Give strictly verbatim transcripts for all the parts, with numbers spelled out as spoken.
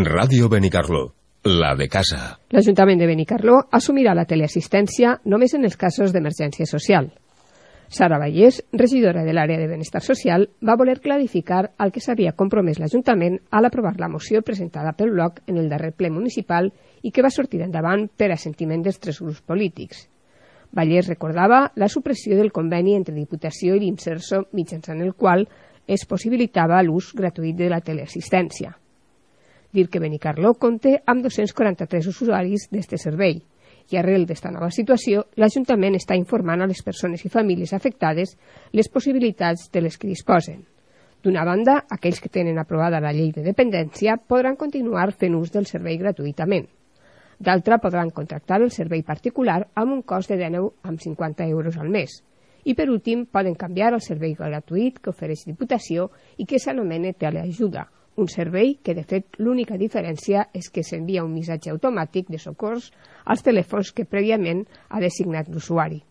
Ràdio Benicarló, la de casa. L'Ajuntament de Benicarló assumirà la teleassistència només en els casos d'emergència social. Sara Vallès, regidora de l'àrea de benestar social, va voler clarificar el que s'havia compromès l'Ajuntament a l'aprovar la moció presentada pel bloc en el darrer ple municipal i que va sortir endavant per assentiment dels tres grups polítics. Vallès recordava la supressió del conveni entre Diputació i l'Imserso, mitjançant el qual es possibilitava l'ús gratuït de la teleassistència. Dir que Benicarló compta amb dos-cents quaranta-tres usuaris d'aquest servei i arrel d'esta nova situació, l'Ajuntament està informant a les persones i famílies afectades les possibilitats de les que disposen. D'una banda, aquells que tenen aprovada la llei de dependència podran continuar fent ús del servei gratuïtament. D'altra, podran contractar el servei particular amb un cost de dinou coma cinquanta euros al mes. I per últim, poden canviar al servei gratuït que ofereix Diputació i que s'anomena Teleajuda, un servei que, de fet, l'única diferència és que s'envia un missatge automàtic de socors als telèfons que prèviament ha designat l'usuari.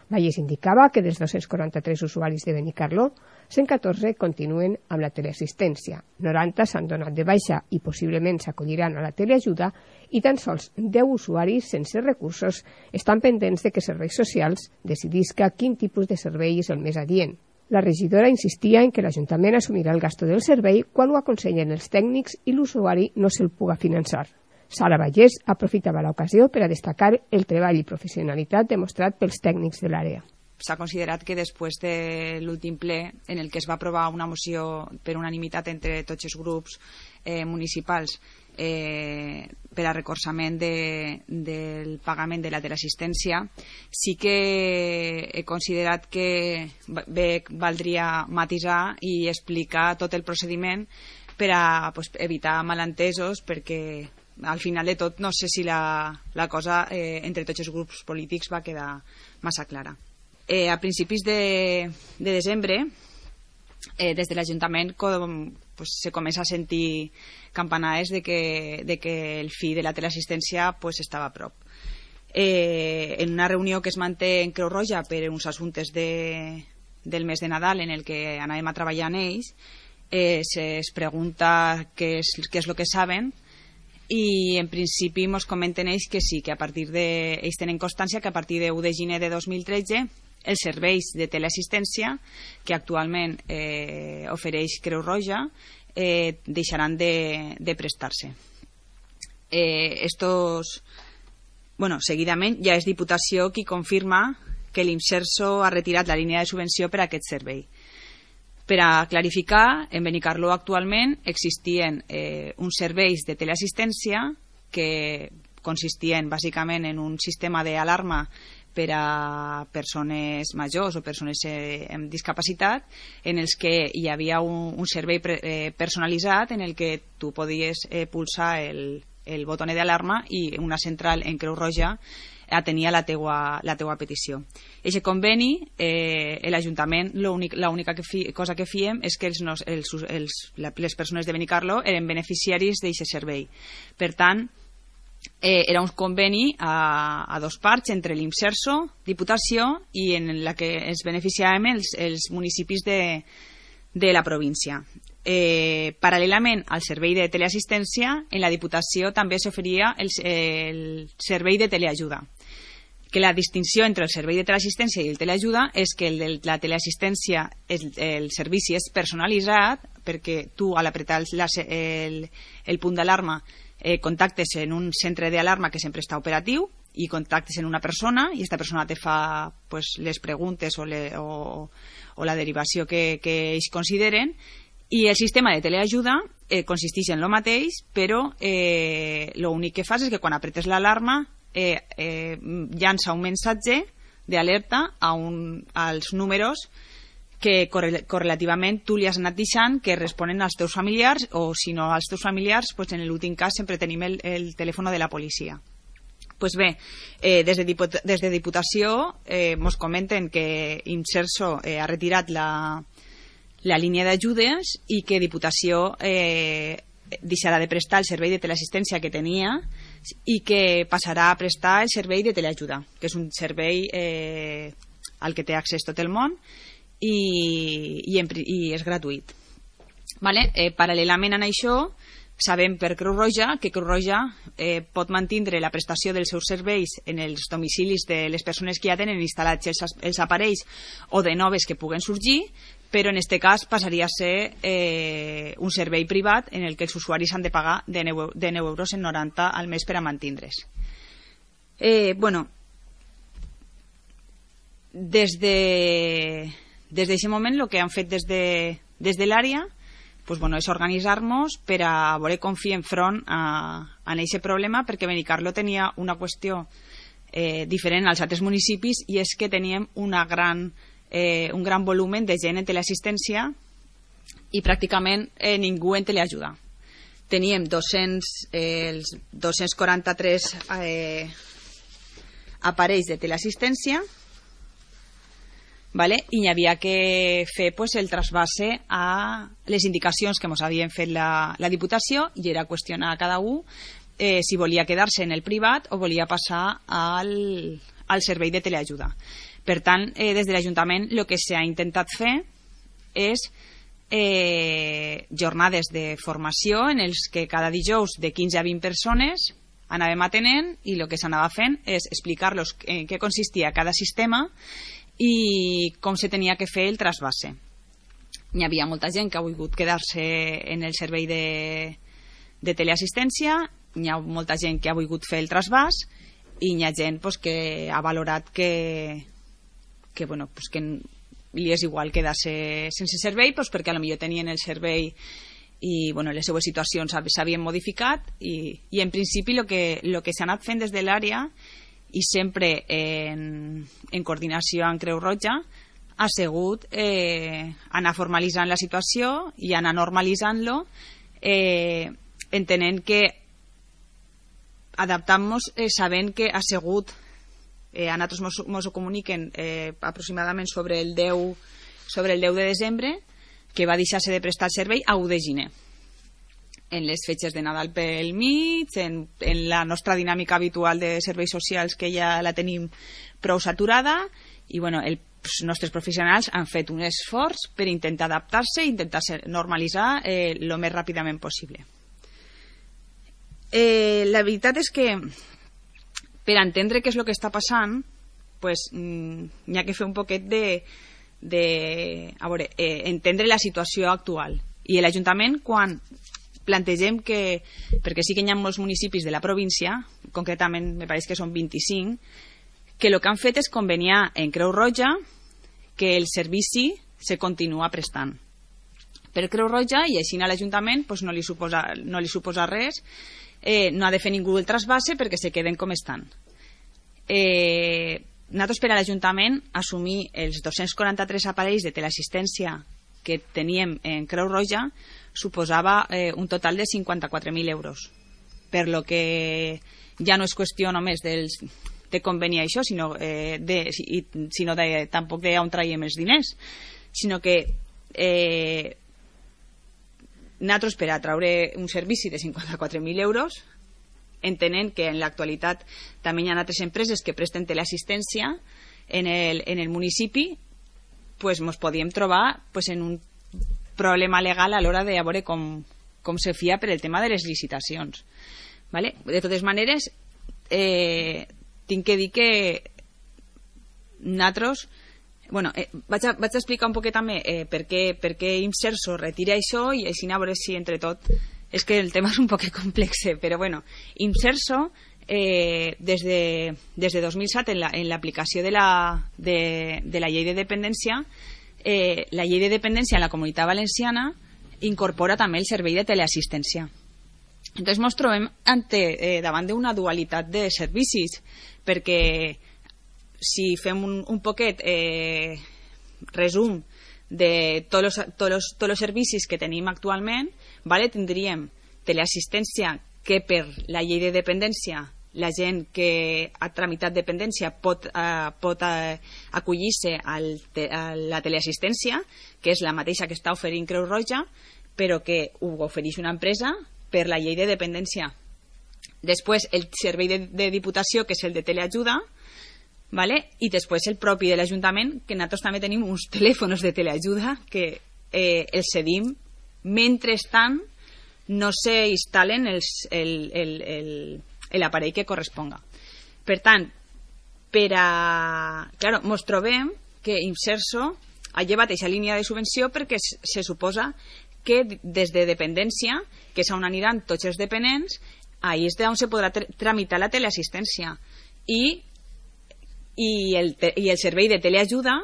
Vallès indicava que dels dos-cents quaranta-tres usuaris de Benicarló, cent catorze continuen amb la teleassistència, noranta s'han donat de baixa i possiblement s'acolliran a la teleajuda i tan sols deu usuaris sense recursos estan pendents de que Serveis Socials decidisca quin tipus de servei és el més adient. La regidora insistia en que l'Ajuntament assumirà el gasto del servei quan ho aconsellen els tècnics i l'usuari no se'l puga finançar. Sara Vallès aprofitava l'ocasió per a destacar el treball i professionalitat demostrat pels tècnics de l'àrea. S'ha considerat que després de l'últim ple, en el que es va aprovar una moció per unanimitat entre tots els grups eh, municipals eh, per a recolzament de, del pagament de la teleassistència, sí que he considerat que bé valdria matisar i explicar tot el procediment per a pues, evitar malentesos, perquè al final de tot no sé si la, la cosa eh, entre tots els grups polítics va quedar massa clara. Eh, a principis de, de desembre, eh, des de l'Ajuntament pues, se comença a sentir campanades de que, de que el fi de la teleassistència pues, estava a prop. Eh, en una reunió que es manté en Creu Roja per uns assumptes de, del mes de Nadal en el que anàvem a treballar en ells, eh, es pregunta què és, què és el que saben, i en principi ens comenten ells que sí, que a partir de, ells tenen constància que a partir de u de gener de dos mil tretze els serveis de teleassistència que actualment eh, ofereix Creu Roja eh, deixaran de, de prestar-se. Eh, estos, bueno, seguidament ja és Diputació qui confirma que l'Imserso ha retirat la línia de subvenció per a aquest servei. Per a clarificar, en Benicarló actualment existien eh, uns serveis de teleassistència que consistien bàsicament en un sistema d'alarma per a persones majors o persones eh, amb discapacitat, en els que hi havia un, un servei pre, eh, personalitzat en el que tu podies eh, pulsar el, el botó d'alarma i una central en Creu Roja atenia la teua, la teua petició. Aquest conveni, eh, l'Ajuntament, l'única que fi, cosa que fiem és que els, els, els, les persones de Benicarló eren beneficiaris d'aquest servei. Per tant, eh, era un conveni a, a dos parts entre l'Imserso, Diputació, i en la que ens beneficiàvem els, els municipis de, de la província. Eh, paral·lelament al servei de teleassistència, en la Diputació també s'oferia el, el servei de teleajuda. Que la distinció entre el servei de teleassistència i el teleajuda és que el de la teleassistència, el, el servici és personalitzat, perquè tu al apretar el, el, el punt d'alarma eh, contactes en un centre d'alarma que sempre està operatiu i contactes en una persona i aquesta persona te fa pues, les preguntes o, le, o, o la derivació que, que ells consideren. I el sistema de teleajuda eh, consisteix en el mateix, però eh, l'únic que fas és que quan apretes l'alarma eh, eh, llança un missatge d'alerta a un, als números que correlativament tu li has anat deixant que responen als teus familiars o si no als teus familiars, pues en l'últim cas sempre tenim el, el telèfon de la policia. Pues bé, eh, des, de Diput des de Diputació eh, mos comenten que Imserso eh, ha retirat la la línia d'ajudes i que Diputació eh, deixarà de prestar el servei de teleassistència que tenia i que passarà a prestar el servei de teleajuda, que és un servei eh, al que té accés tot el món i, i, en, i és gratuït. Vale? Eh, paral·lelament a això, sabem per Creu Roja que Creu Roja eh, pot mantindre la prestació dels seus serveis en els domicilis de les persones que ja tenen instal·lats els, els aparells o de noves que puguen sorgir, però en aquest cas passaria a ser eh, un servei privat en el que els usuaris han de pagar de nou euros en noranta al mes per a mantindre's. Eh, bueno, des de des d'aquest moment el que han fet des de, des de l'àrea pues, bueno, és organitzar-nos per a veure com fiem front a, a aquest problema, perquè Benicarló tenia una qüestió eh, diferent als altres municipis, i és que teníem una gran, eh, un gran volumen de gent en teleassistència i pràcticament eh, ningú en teleajuda. Teníem dos-cents, eh, els dos-cents quaranta-tres eh, aparells de teleassistència, vale? I hi havia que fer pues, el trasbase a les indicacions que ens havien fet la, la Diputació, i era qüestionar a cada un eh, si volia quedar-se en el privat o volia passar al, al servei de teleajuda. Per tant, eh, des de l'Ajuntament el que s'ha intentat fer és eh, jornades de formació en els que cada dijous de quinze a vint persones anàvem atenent, i el que s'anava fent és explicar-los en què consistia cada sistema i com se tenia que fer el trasbase. Hi havia molta gent que ha volgut quedar-se en el servei de, de teleassistència, hi ha molta gent que ha volgut fer el trasbàs, i hi ha gent pues, que ha valorat que, que, bueno, pues, que li és igual quedar-se sense servei pues, perquè potser tenien el servei i bueno, les seues situacions s'havien modificat, i, i en principi el que, lo que s'ha anat fent des de l'àrea, i sempre en, en coordinació amb Creu Roja, ha sigut eh, anar formalitzant la situació i anar normalitzant-lo, eh, entenent que adaptant-nos eh, sabent que ha sigut eh, a nosaltres ens ho comuniquen eh, aproximadament sobre el deu sobre el deu de desembre, que va deixar-se de prestar el servei a u de gener, en les fetges de Nadal pel mig, en, en la nostra dinàmica habitual de serveis socials, que ja la tenim prou saturada, i bueno, el, els nostres professionals han fet un esforç per intentar adaptar-se i intentar normalitzar el eh, més ràpidament possible. Eh, la veritat és que per entendre què és el que està passant, pues, mm, hi ha que fer un poquet de, de a veure, eh, entendre la situació actual. I l'Ajuntament, quan plantegem que, perquè sí que hi ha molts municipis de la província, concretament me pareix que són vint-i-cinc, que el que han fet és conveniar en Creu Roja que el servici se continua prestant per Creu Roja, i així a l'Ajuntament pues, no, li suposa, no li suposa res, eh, no ha de fer ningú el trasbase perquè se queden com estan. Eh, nosaltres per a l'Ajuntament assumir els dos-cents quaranta-tres aparells de teleassistència que teníem en Creu Roja suposava eh, un total de cinquanta-quatre mil euros, per lo que ja no és qüestió només dels, de convenir això, sinó, eh, de, sinó de, tampoc d'on traiem els diners, sinó que eh, nosaltres per a traure un servici de cinquanta-quatre mil euros, entenent que en l'actualitat també hi ha altres empreses que presten teleassistència en el, en el municipi, pues ens podíem trobar pues, en un problema legal a l'hora de veure com, com se fia per el tema de les licitacions. ¿Vale? De totes maneres, eh, tinc que dir que nosaltres, bueno, eh, vaig, a, vaig a explicar un poquet també eh, per què, per què Imserso retira això, i així a veure si entre tot, és que el tema és un poquet complex, però bueno, Imserso eh, des, de, des de dos mil set en l'aplicació la, de, la, de, de la llei de dependència, eh, la llei de dependència en la Comunitat Valenciana incorpora també el servei de teleassistència. Entonces ens trobem ante, eh, davant d'una dualitat de servicis, perquè si fem un, un poquet eh, resum de tots els, tots els, tots els servicis que tenim actualment, vale, tindríem teleassistència que per la llei de dependència la gent que ha tramitat dependència pot, eh, pot eh, acollir-se te, a la teleassistència, que és la mateixa que està oferint Creu Roja, però que ho ofereix una empresa per la llei de dependència. Després el servei de, de Diputació, que és el de teleajuda, ¿vale? I després el propi de l'Ajuntament, que nosaltres també tenim uns telèfons de teleajuda que eh, els cedim mentrestant no se instal·len l'aparell que corresponga. Per tant, per a... Claro, mos trobem que Imserso ha llevat aquesta línia de subvenció perquè se suposa que des de dependència, que és on aniran tots els dependents, ahí és on se podrà tramitar la teleassistència. I, i, el, i el servei de teleajuda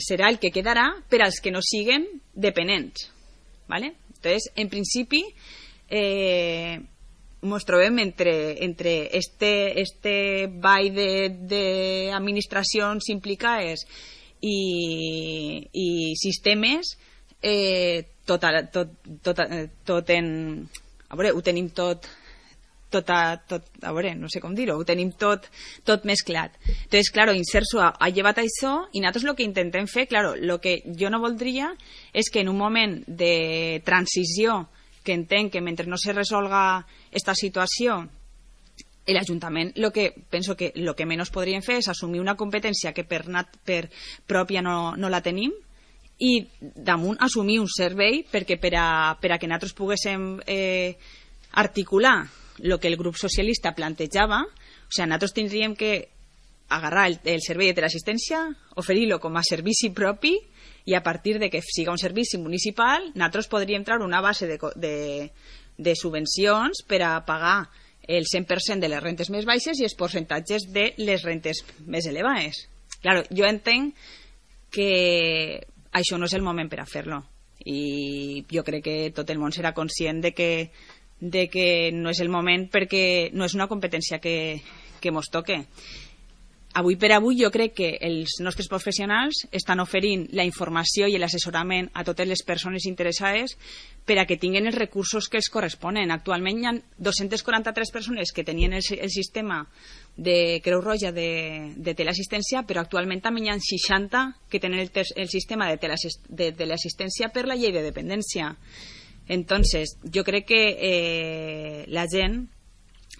serà el que quedarà per als que no siguen dependents. ¿Vale? Entonces, en principi, eh, nos trobem entre, entre este, este ball d'administracions implicades i, i sistemes eh, tot, tot, tot, tot en... A veure, ho tenim tot... Tot a, tot, a veure, no sé com dir-ho, ho tenim tot, tot mesclat. Entonces, claro, Imserso ha, ha llevat això i nosaltres el que intentem fer, claro, el que jo no voldria és que en un moment de transició, que entenc que mentre no se resolga esta situació, l'Ajuntament, lo que penso que el que menys podríem fer és assumir una competència que per, nat, per pròpia no, no la tenim i damunt assumir un servei perquè per a, per a que nosaltres poguéssim eh, articular el que el grup socialista plantejava, o sigui, nosaltres tindríem que agarrar el, el servei de teleassistència, oferir-lo com a servici propi i a partir de que siga un servici municipal, nosaltres podríem treure una base de, de, de subvencions per a pagar el cent per cent de les rentes més baixes i els percentatges de les rentes més elevades. Claro, jo entenc que això no és el moment per a fer-lo i jo crec que tot el món serà conscient de que de que no és el moment perquè no és una competència que, que mos toque. Avui per avui jo crec que els nostres professionals estan oferint la informació i l'assessorament a totes les persones interessades per a que tinguin els recursos que els corresponen. Actualment hi ha dos-centes quaranta-tres persones que tenien el, el sistema de Creu Roja de, de teleassistència, però actualment també hi ha seixanta que tenen el, el sistema de teleassistència per la llei de dependència. Entonces, jo crec que eh, la gent,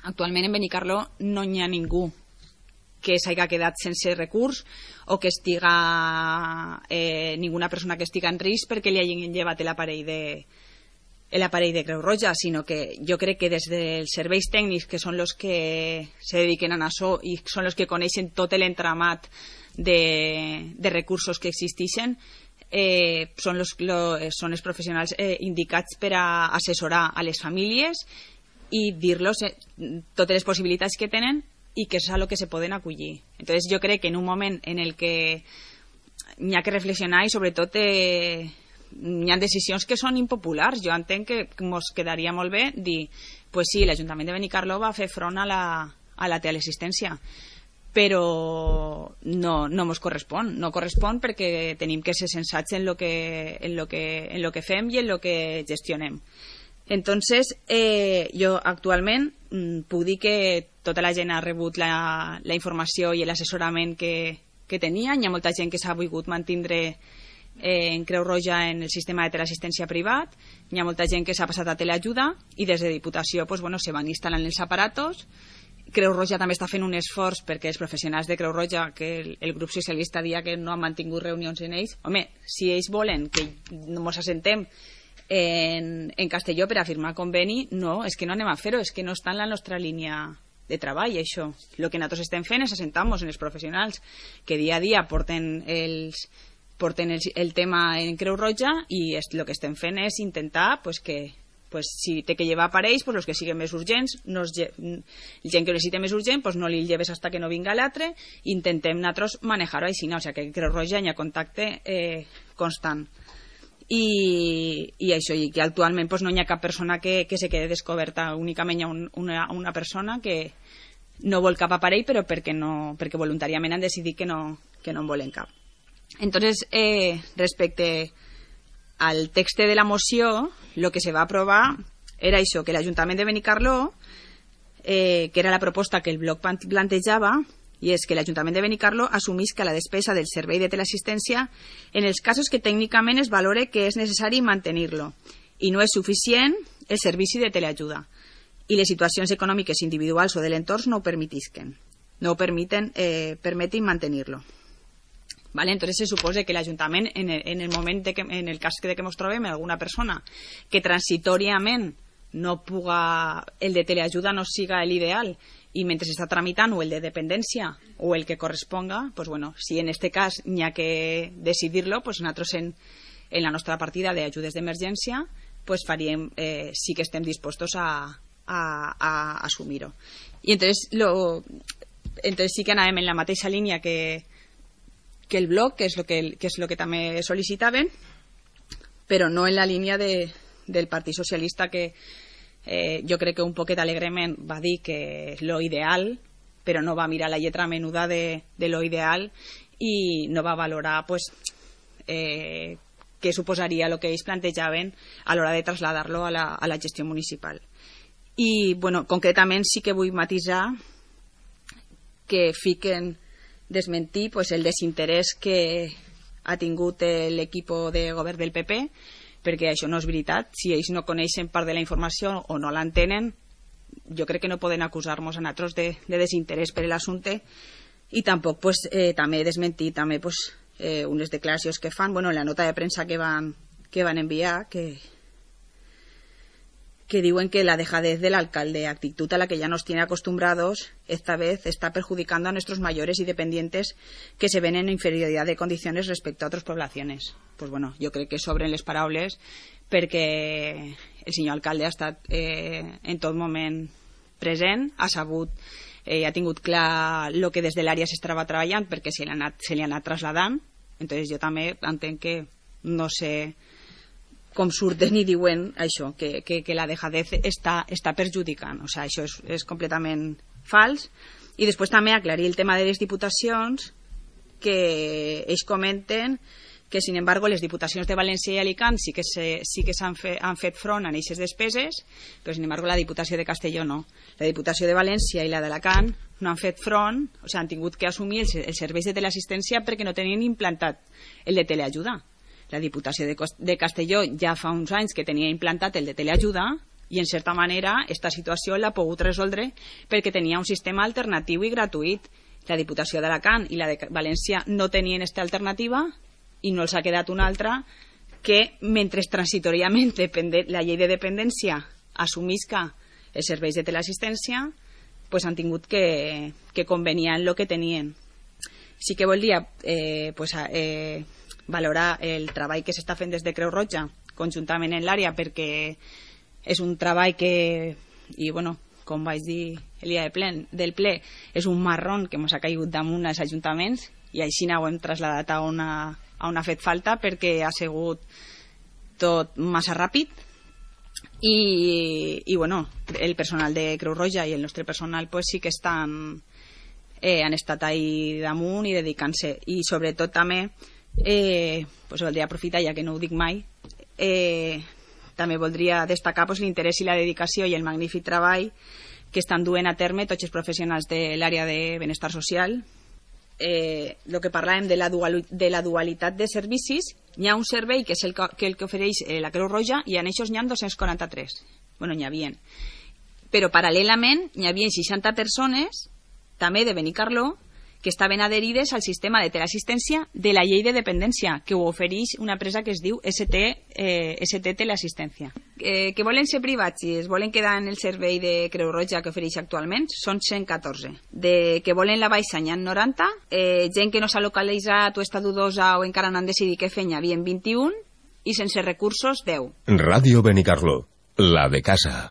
actualment en Benicarló no hi ha ningú que s'hagi quedat sense recurs o que estiga eh, ninguna persona que estiga en risc perquè li hagin llevat l'aparell de l'aparell de Creu Roja, sinó que jo crec que des dels serveis tècnics, que són els que se dediquen a això i són els que coneixen tot l'entramat de, de recursos que existeixen, Eh, són, los, lo, són els professionals eh, indicats per a assessorar a les famílies i dir-los eh, totes les possibilitats que tenen i que és a lo que se poden acollir. Entonces jo crec que en un moment en el que n'hi ha que reflexionar i sobretot eh, n'hi ha decisions que són impopulars. Jo entenc que ens quedaria molt bé dir, pues sí, l'Ajuntament de Benicarló va fer front a la, a la teleassistència, però no, no ens correspon. No correspon perquè tenim que ser sensats en lo que, en lo que, en lo que fem i en lo que gestionem. Entonces, eh, jo actualment mm, puc dir que tota la gent ha rebut la, la informació i l'assessorament que, que tenia. Hi ha molta gent que s'ha volgut mantindre eh, en Creu Roja en el sistema de teleassistència privat. Hi ha molta gent que s'ha passat a teleajuda i des de Diputació pues, bueno, se van instal·lant els aparatos. Creu Roja també està fent un esforç perquè els professionals de Creu Roja, que el, el grup socialista dia que no han mantingut reunions en ells, home, si ells volen que ens assentem en, en Castelló per a firmar conveni, no, és que no anem a fer-ho, és que no està en la nostra línia de treball, això. El que nosaltres estem fent és assentar-nos en els professionals que dia a dia porten, els, porten el, el tema en Creu Roja i el que estem fent és intentar pues, que pues, si té que llevar aparells, pues, els que siguin més urgents, no es lle... el gent que ho necessita més urgent, pues, no li lleves hasta que no vinga l'altre, intentem nosaltres manejar-ho així, no? O sigui, que Creu Roja hi ha contacte eh, constant. I, i això, i que actualment pues, no hi ha cap persona que, que se quede descoberta, únicament hi ha un, una, una persona que no vol cap aparell, però perquè, no, perquè voluntàriament han decidit que no, que no en volen cap. Entonces, eh, respecte al text de la moció, lo que se va aprovar era això, que l'Ajuntament de Benicarló, eh, que era la proposta que el bloc plantejava, i és que l'Ajuntament de Benicarló assumisca la despesa del servei de teleassistència en els casos que tècnicament es valore que és necessari mantenir-lo i no és suficient el servici de teleajuda i les situacions econòmiques individuals o de l'entorn no ho permetisquen, no ho permiten, eh, permetin mantenir-lo. Vale, entonces se supone que l'Ajuntament, en el, en el moment de que, en el cas de que ens trobem alguna persona que transitoriament no puga, el de teleajuda no siga el ideal i mentre s'està tramitant o el de dependència o el que corresponga, pues bueno, si en este cas n'hi ha que decidir-lo, pues nosaltres en, en la nostra partida d'ajudes d'emergència pues faríem, eh, sí que estem dispostos a, a, a assumir-ho. I entonces, lo, entonces sí que anàvem en la mateixa línia que, que el bloc, que és lo que, que és lo que també sol·licitaven, però no en la línia de, del Partit Socialista, que eh, jo crec que un poquet alegrement va dir que és lo ideal, però no va mirar la lletra menuda de, de lo ideal i no va valorar pues, eh, què suposaria el que ells plantejaven a l'hora de traslladar-lo a, la, a la gestió municipal. I, bueno, concretament sí que vull matisar que fiquen desmentir pues, el desinterès que ha tingut l'equip de govern del P P, perquè això no és veritat. Si ells no coneixen part de la informació o no l'entenen, jo crec que no poden acusar-nos a nosaltres de, de desinterès per l'assumpte, i tampoc pues, eh, també desmentir també, pues, eh, unes declaracions que fan, bueno, en la nota de premsa que van, que van enviar, que, que diuen que la dejadez del alcalde, actitud a la que ya nos tiene acostumbrados, esta vez está perjudicando a nuestros mayores y dependientes que se ven en inferioridad de condiciones respecto a otras poblaciones. Pues bueno, jo crec que sobren les paraules perquè el senyor alcalde ha estat eh, en tot moment present, ha sabut, eh, ha tingut clar el que des de l'àrea s'estava treballant perquè se li ha anat, se li ha anat traslladant. Entonces jo també entenc que no sé com surten i diuen això, que, que, que la dejadez està, està perjudicant. O sigui, això és, és completament fals. I després també aclarir el tema de les diputacions, que ells comenten que, sin embargo, les diputacions de València i Alicant sí que se, sí que s'han fe, han fet front a aquestes despeses, però, sin embargo, la Diputació de Castelló no. La Diputació de València i la d'Alacant no han fet front, o sigui, han tingut que assumir els, els serveis de teleassistència perquè no tenien implantat el de teleajuda. La Diputació de, de Castelló ja fa uns anys que tenia implantat el de teleajuda i, en certa manera, aquesta situació l'ha pogut resoldre perquè tenia un sistema alternatiu i gratuït. La Diputació d'Alacant i la de València no tenien aquesta alternativa i no els ha quedat una altra que, mentre transitoriament la llei de dependència assumisca els serveis de teleassistència, pues han tingut que, que conveniar en el que tenien. Sí que volia eh, pues, eh, valorar el treball que s'està fent des de Creu Roja conjuntament en l'àrea, perquè és un treball que, i bueno, com vaig dir el dia de ple, del ple, és un marrón que ens ha caigut damunt als ajuntaments i així ho hem traslladat a una, a on ha fet falta perquè ha sigut tot massa ràpid i, i bueno, el personal de Creu Roja i el nostre personal pues, sí que estan, eh, han estat ahí damunt i dedicant-se, i sobretot també eh, pues, voldria aprofitar, ja que no ho dic mai, eh, també voldria destacar pues, l'interès i la dedicació i el magnífic treball que estan duent a terme tots els professionals de l'àrea de benestar social. Eh, el que parlàvem de la, dual, de la dualitat de servicis, hi ha un servei que és el que, que, el que ofereix eh, la Creu Roja i en aquests n'hi ha dos-cents quaranta-tres. Bueno, n'hi havia. Però paral·lelament n'hi havia seixanta persones, també de Benicarló, que estaven adherides al sistema de teleassistència de la llei de dependència, que ho ofereix una empresa que es diu S T, eh, S T Teleassistència. Eh, que volen ser privats i es volen quedar en el servei de Creu Roja que ofereix actualment, són cent catorze. De que volen la baixa n'hi ha noranta, eh, gent que no s'ha localitzat o està dudosa o encara no han decidit què fer n'hi havia vint-i-un, i sense recursos deu. Ràdio Benicarló, la de casa.